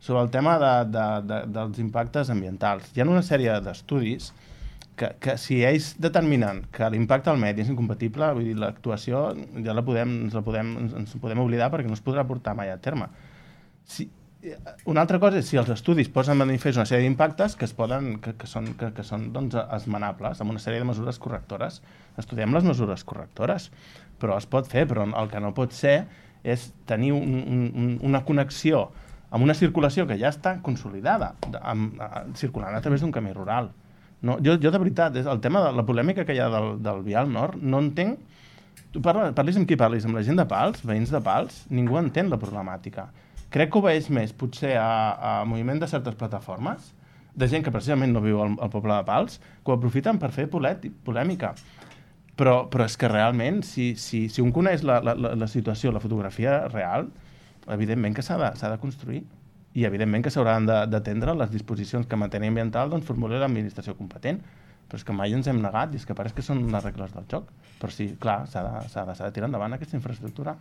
sobre el tema dels impactes ambientals. Hi ha una sèrie d'estudis que si ells determinen que l'impacte al medi és incompatible, vull dir, l'actuació ja ens podem oblidar perquè no es podrà portar mai a terme. Una altra cosa és si els estudis posen en manifest una sèrie d'impactes que són doncs, esmenables, amb una sèrie de mesures correctores. Estudiem les mesures correctores, però es pot fer, però el que no pot ser és tenir una connexió amb una circulació que ja està consolidada, circulant a través d'un camí rural. No, jo de veritat, el tema de la polèmica que hi ha del Vial Nord, no entenc. Tu parlis amb qui parlis, amb la gent de Pals, veïns de Pals, ningú entén la problemàtica. Crec que obeeix més, potser, a moviment de certes plataformes, de gent que precisament no viu al poble de Pals, que ho aprofiten per fer polèmica. Però és que realment, si un coneix la situació, la fotografia real, evidentment que s'ha de construir i evidentment que s'hauran d'atendre les disposicions que en matèria ambiental doncs formuli l'administració competent, però és que mai ens hem negat i és que pareix que són les regles del joc, però sí, clar, s'ha de tirar endavant aquesta infraestructura.